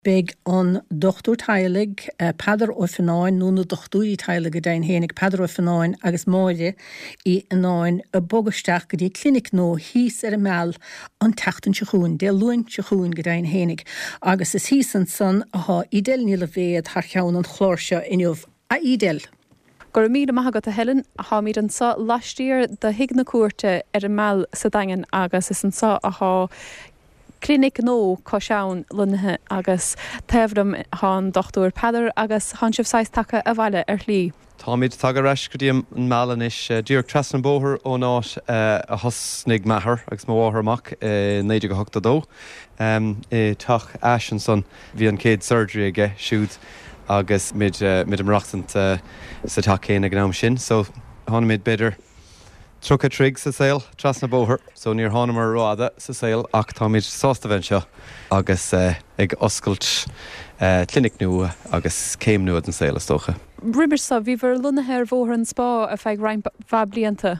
Beidh an dochtúir teaghlaigh, Peadar Ó Fionnáin, nó na dochtúirí teaghlaigh go deimhin fhéinig, Peadar Ó Fionnáin agus Máire Uí Fhionnáin, ag bogadh isteach go dtí clinic nua thíos ar an Meal an tseachtain seo chugainn, Dé Luain seo chugainn go deimhin fhéinig. Agus is thíos ansan athá Edel Ní Loibhéad thar cheann an chláir seo inniu. A Edel! Go raibh míle maith agat a Helen. Táimid anso laistiar de Thigh na Cúirte ar an Meal sa Daingean agus is anso athá Clinic nua Cois Abhann lonnaithe agus taobh liom thá an Dochtúir Peadar agus thánn sibh saghas tagtha abhaile ar shlí. Táimid tagtha ar ais go dtí an Meal anois, díreach trasna an bóthar ón áit a thosnaigh m'athair agus mo mháthair amach i 1982. I dteach Ashe ansan bhí an chéad surgery aige siúd agus muid ag maireachtaint sa teach céanna ag an am sin. So tháinig muid b'fhéidir 30 troigh sa saol, trasna bóthar, so níor thánamar rófhada sa saol ach táimid sásta bheith anseo agus ag oscailt clinic nua agus céim nua den saol is dócha. Roimis seo, bhíobhair lonnaithe ar Bhóthar an Spá ar feadh roinnt mhaith blianta.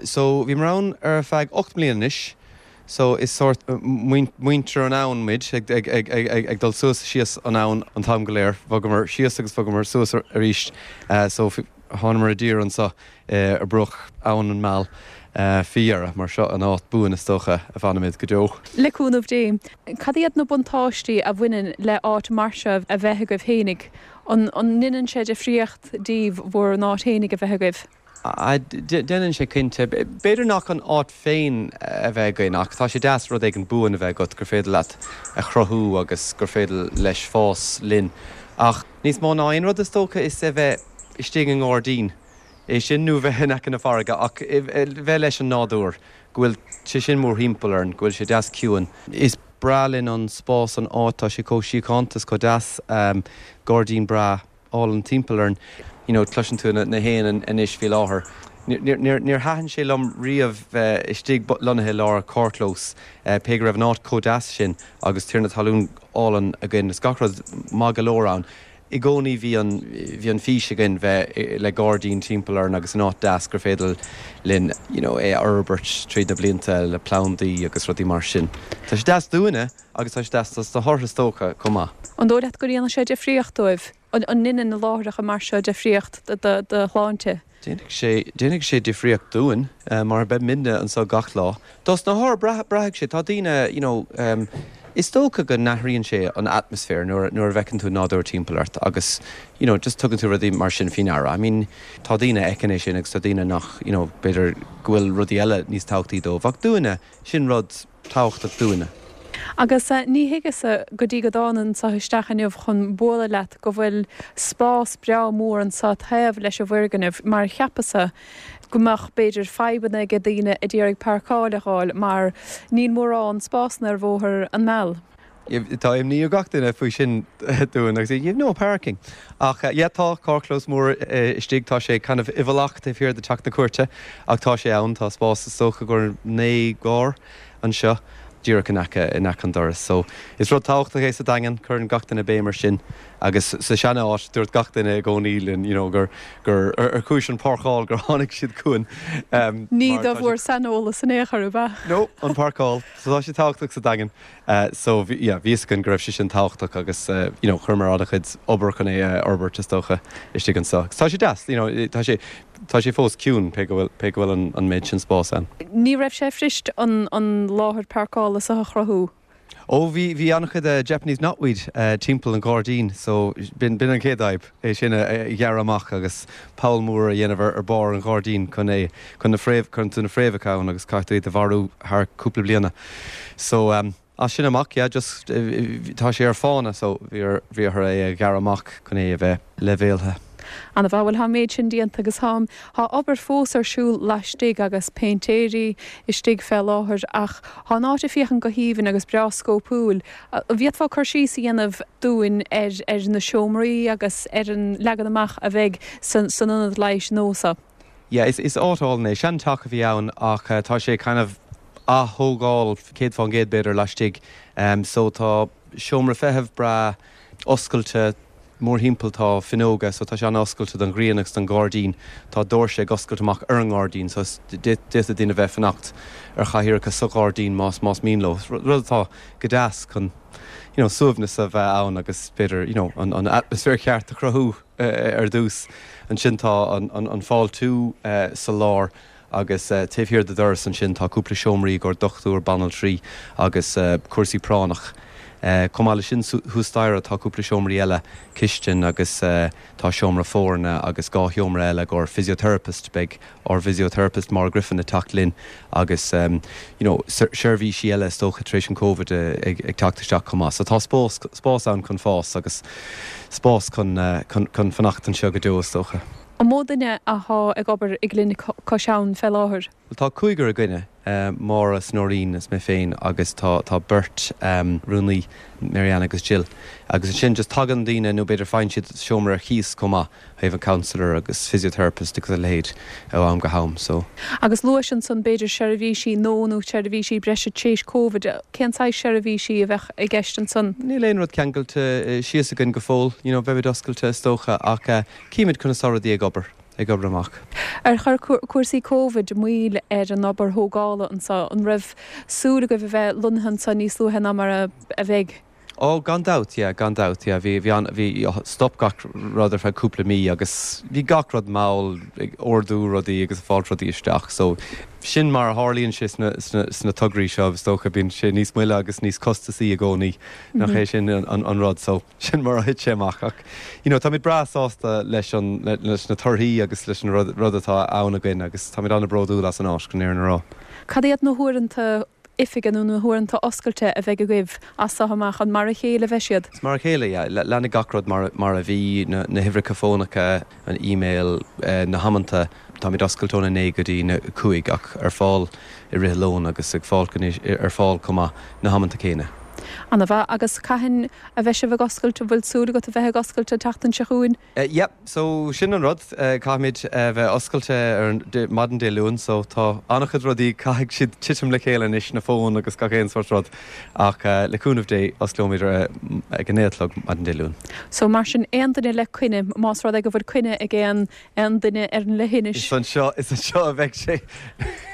So bhíomar ann ar feadh 8 mbliana anois, so is sórt muintir an abhann muid, ag dul suas is síos an abhainn an t-am go léir. Bhogamar síos agus bhogamar suas arís, so thánamar i dtír anseo ar bruach Abhainn an Meal faoi dheireadh, mar seo an áit buan is dócha a bhfanfaimid go deo. Le cúnamh Dé. Cad iad na buntáistí a bhaineann le áit mar seo a bheith agaibh fhéinig? An ndeineann sé difríocht daoibh bhur n-áit fhéinig a bheith agaibh? Déanann sé cinnte. B'fhéidir nach an áit féin a bheith againn ach tá sé deas rud éigin buan a bheith agat gur féidir leat a chruthú agus gur féidir leis fás linn. Ach níos mó ná aon rud is dócha is a bheith istigh i ngairdín, é sin nó bheith in aice na farraige ach bheith leis an nádúr, go bhfuil sé sin mórthimpeall orainn, go bhfuil sé deas ciúin. Is breá linn an spás, an áit, tá sé chomh síochánta is chomh deas, gairdín breá álainn timpeall orainn. You know, cloiseann tú na héin anois faoi láthair. Níor thaitin sé liom riamh bheith istigh lonnaithe i lár carrchlós, pé go raibh an áit chomh deas sin agus tiarna talún álainn againn is gach rud maith go leor ann. I gcónaí bhí an, bhí an fís againn bheith le gairdín timpeall orainn agus in áit deas gur féidir linn you know é a fhorbairt tríd na blianta le plandaí agus rudaí mar sin. Tá sé deas dúinne agus tá sé deas dos na hothair is dócha chomh maith. An dóigh leat go ndéanann sé difríocht dóibh? An ndeineann na láithreacha mar seo difríocht do do shláinte? Déanfaidh sé, déanfaidh sé difríocht dúinn mar beimidne anseo gach lá. Dos na hothair, braithfidh sé, tá daoine, you know, is dócha go n-athraíonn sé an atmaisféar nuair, nuair a bhfeiceann tú nádúr timpeall ort agus, you know, just tugann tú rudaí mar sin faoi ndeara. I mean, tá daoine a fheiceann é sin agus tá daoine nach, you know, b'fhéidir go bhfuil rudaí eile níos tábhachtaí dóibh ach dúinne, sin rud tábhachtach dúinne. Agus ní thuigeas-sa go dtí go dtána anso isteach inniu chun bualadh leat go bhfuil spás breá mór anso taobh leis an bhfoirgneamh mar cheapas-sa go mbeadh b'fhéidir fadhbanna ag daoine a d'iarraidh páirceáil a dh'fháil mar níl mórán spásanna ar Bhóthar an Meal. Tá imní ar gach duine faoi sin dúinn agus you've no parking. Ach yeah tá carrchlós mór istigh, tá sé kind of i bhfolach taobh thiar de Teach na Cúirte ach tá sé ann, tá spás is dócha gur 9 gcarr anseo díreach in aice in aice an doras. So is rud tábhachtach é sa Daingean, cuireann gach duine béim ar sin agus sa seana áit dúirt gach duine i gcónaí linn you know gur gur ar chúis an páirceáil gur tháinig siad chugainn. Ní do bhur saineolas in aon chor ab ea? No, an páirceáil. So tá sé tábhachtach sa Daingean. So bhí, yeah, bhí fhios againn go raibh sé sin tábhachtach agus you know chuireamar an-chuid obair chun é a fhorbairt is dócha istigh anseo. Agus tá sé deas, you know, tá sé, tá sé fós ciúin pé go bhfuil, pé go bhfuil an, an méid sin spáis ann. Ní raibh sé fuirist an, an láthair páirceála seo a chruthú? Ó bhí, bhí an-chuid Japanese knotweed timpeall an ghairdín so b'in, b'in an chéad fhadhb, é sin a ghearradh amach agus poll mór a dhéanamh ar, ar barr an ghairdín chun é, chun na fréamh, cuireann tú na fréamhacha ann agus caithfidh tú iad a mharú thar cúpla bliana. So as sin amach, yeah, just tá sé ar fána so bhí ar, bhí orthu é a ghearradh amach chun é a bheith leibhéaltha. Ana-mhaith, bhuel tá an méid sin déanta agus tá, tá obair fós ar siúl laistigh agus péintéirí istigh fé láthair ach tá an áit ag féachaint go haoibhinn agus breá scóipiúil. An bhféadfá cur síos a dhéanamh dúinn ar, ar na seomraí agus ar an leagan amach a bheidh san, san ionad leighis nua seo? Yeah, is áit álainn é. Seanteach a bhí ann ach tá sé kind of ath-thógáil 100% b'fhéidir laistigh. So tá seomra feithimh breá oscailte. Mórthimpeall tá fuinneoga so tá sé an-oscailte don ghrian agus don ghairdín. Tá doirse ag oscailt amach ar an ngairdín so d'fhéadfadh daoine bheith ag fanacht ar chathaoireacha sa ghairdín más más mian leo. Rud atá go deas chun you know suaimhneas a bheith ann agus b'fhéidir you know an an atmaisféar cheart a chruthú ar dtús. Ansin tá an an fáiltiú sa lár Agus taobh thiar de doras ansin tá cúpla seomraí i gcomhair dochtúir, banaltraí agus cúrsaí práinneach. Chomh maith leis sin thuas staighre tá cúpla seomraí eile, cistin agus tá seomra foirne agus 2 sheomra eile i gcomhair physiotherapist, beidh ár bphysiotherapist Maura Griffin ag teacht linn agus you know seirbhísí eile is dócha tar éis an Covid ag teacht isteach chomh maith. So tá spás spás ann chun fás agus spás chun chun fanacht anseo go deo is dócha. An mó duine athá ag obair i gClinic Cois Abhann fé láthair? Bhuel tá cúigear againne, Máire is Nóirín is mé féin agus tá tá beirt rúnaí, Mary Ann agus Jill. Agus ansin just tagann daoine nó b'fhéidir faigheann siad seomra ar cíos chomh maith, thaobh an counsellor agus physiotherapist agus a leithéid ó am go ham so. Agus luais ansan b'fhéidir seirbhísí nua nó seirbhísí breise tar éis Covid, cén saghas seirbhísí a bheadh i gceist ansan? Níl aon rud ceangailte síos againn go fóill, you know beimid oscailte is dócha ach Címid conas tá rudaí ag obair, ag obair amach. Ar chuir cúrsaí Covid moill ar an obair thógála anseo? An raibh súil agaibh a bheith lonnaithe anseo níos luaithe ná mar a bheidh? Ó, gan dabht, yeah, gan dabht, yeah. Bhí, bhí an, bhí, stop gach rud ar feadh cúpla mí agus bhí gach rud mall ag ordú rudaí agus ag fáilt rudaí isteach so sin mar a tharlaíonn sé sna, sna, sna tograí seo is dócha, bíonn sé níos moille agus níos costasaí i gcónaí, nach é sin an, an, an rud so. Sin mar a thit sé amach ach you know táimid breá sásta leis an leis na torthaí agus leis an rud rud atá ann againn agus táimid an-bhródúil as an áit chun an fhírinne a rá. Cad iad na huaireanta oifige nó na huaireanta oscailte a bheidh agaibh as seo amach? An mar a chéile a bheidh siad? Is mar a chéile, yeah. Leanfaidh gach rud mar mar a bhí, na na huimhreacha fónacha, an email, na hamanta. Táimid oscailte óna 9 go dtí na 5 ach ar fáil i rith an lóin agus ag fáil ar fáil chomh maith na hamanta céanna. Ana mhaith. Agus cathain a bheidh sibh ag oscailt? An bhfuil súil agat a bheith ag oscailt an tseachtain seo chugainn? Yep, so sin an rud. Caithfimid a bheith oscailte ar an maidin Dé Luain so tá an-chuid rudaí, caithfidh siad titim le chéile anois, na fóin agus gach aon sórt rud. Ach le cúnamh Dé, osclóimid ag a 9 a chlog maidin Dé Luain. So mar sin, aon duine le coinne, más rud é go bhfuil coinne ag aon aon duine ar an leithinis. Is anseo, is anseo a bheidh sé.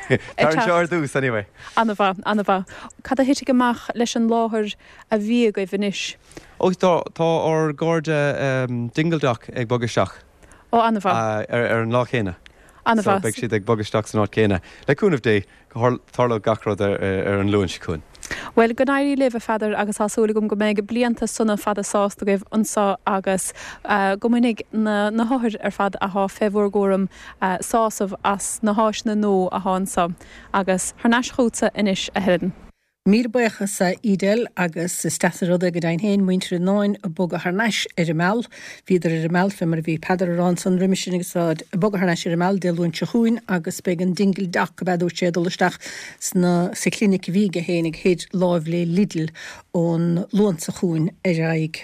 Tar anseo ar dtús, anyway. Ana-mhaith, ana-mhaith. Cad a thitfidh amach leis an láthair a bhí agaibh anois? Ó, tá, tá ár gcairde Dingle Dock ag bogadh isteach. Ó, ana-mhaith. Ar an lá céanna. Ana-mhaith. So beidh siad ag bogadh isteach san áit chéanna. Le cúnamh Dé. Tarlóidh gach rud ar an Luan seo chugainn. Bhuel, go n-éirí libh, a Pheadair, agus tá súil agam go mbeidh blianta sona fada sásta agaibh anseo agus go mbainfidh na na hothair ar fad athá fé bhur gcúram sásamh as na háiseanna nua athá anseo. Agus thar n-ais chugatsa anois, a Helen. Míle buíochas a Edel agus is deas an rud é go deimhin féin muintir Fhionáin ag bogadh thar n-ais ar an Meal. Bhíodar ar an Meal fé mar a bhí Peadar a rá ansan roimis sin agus táid ag bogadh thar n-ais ar an Meal Dé Luain seo chugainn agus beidh an Dingle Dock ab ea dúirt sé ag dul isteach sna sa chlinic a bhí aige féinig thoir láimh le Lidl ón Luan seo chugainn ar aghaidh.